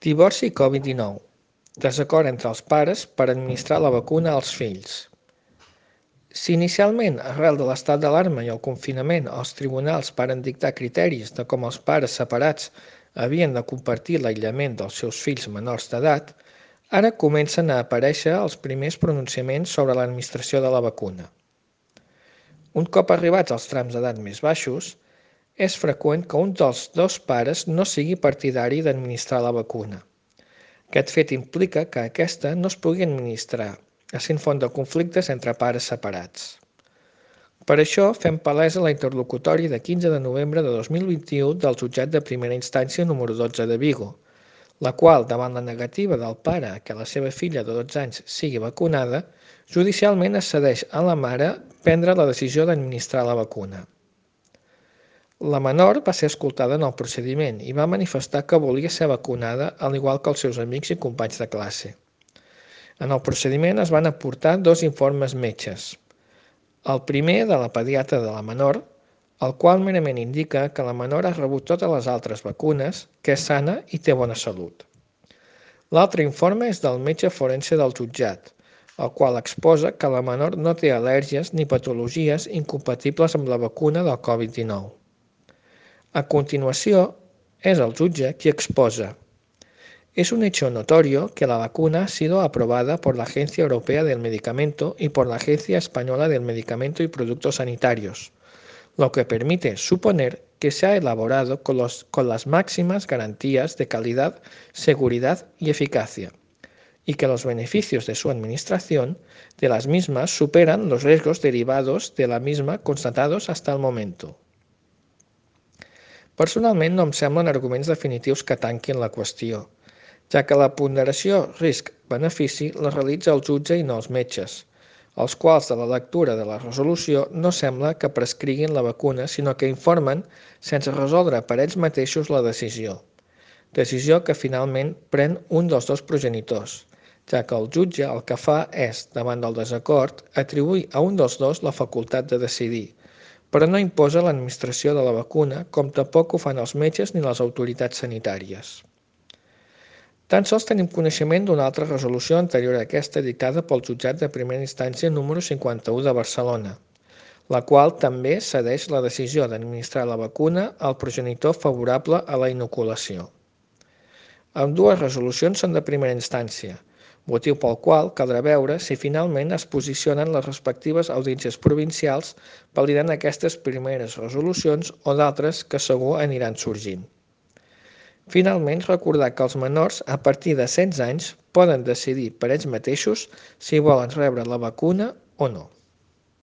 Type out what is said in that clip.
Divorci i Covid-19. Desacord entre els pares per administrar la vacuna als fills. Si inicialment, arrel de l'estat d'alarma i el confinament, els tribunals varen dictar criteris de com els pares separats havien de compartir l'aïllament dels seus fills menors d'edat, ara comencen a aparèixer els primers pronunciaments sobre l'administració de la vacuna. Un cop arribats als trams d'edat més baixos, és freqüent que un dels dos pares no sigui partidari d'administrar la vacuna. Aquest fet implica que aquesta no es pugui administrar, essent font de conflictes entre pares separats. Per això fem palesa la interlocutòria de 15 de novembre de 2021 del Jutjat de Primera Instància número 12 de Vigo, la qual, davant la negativa del pare que la seva filla de 12 anys sigui vacunada, judicialment accedeix a la mare prendre la decisió d'administrar la vacuna. La menor va ser escoltada en el procediment i va manifestar que volia ser vacunada, al igual que els seus amics i companys de classe. En el procediment es van aportar dos informes metges. El primer de la pediatra de la menor, el qual merament indica que la menor ha rebut totes les altres vacunes, que és sana i té bona salut. L'altre informe és del metge forense del jutjat, el qual exposa que la menor no té al·lèrgies ni patologies incompatibles amb la vacuna del Covid-19. A continuación, es el jutge qui exposa: es un hecho notorio que la vacuna ha sido aprobada por la Agencia Europea del Medicamento y por la Agencia Española del Medicamento y Productos Sanitarios, lo que permite suponer que se ha elaborado con las máximas garantías de calidad, seguridad y eficacia, y que los beneficios de su administración de las mismas superan los riesgos derivados de la misma constatados hasta el momento. Personalment no em semblen arguments definitius que tanquin la qüestió, ja que la ponderació risc-benefici la realitza el jutge i no els metges, els quals de la lectura de la resolució no sembla que prescriguin la vacuna, sinó que informen sense resoldre per ells mateixos la decisió que finalment pren un dels dos progenitors, ja que el jutge el que fa és, davant del desacord, atribuir a un dels dos la facultat de decidir, però no imposa l'administració de la vacuna, com tampoc ho fan els metges ni les autoritats sanitàries. Tan sols tenim coneixement d'una altra resolució anterior a aquesta dictada pel Jutjat de Primera Instància número 51 de Barcelona, la qual també cedeix la decisió d'administrar la vacuna al progenitor favorable a la inoculació. Ambdues resolucions són de primera instància, motiu pel qual caldrà veure si finalment es posicionen les respectives audiències provincials validant aquestes primeres resolucions o d'altres que segur aniran sorgint. Finalment, recordar que els menors a partir de 16 anys poden decidir per ells mateixos si volen rebre la vacuna o no.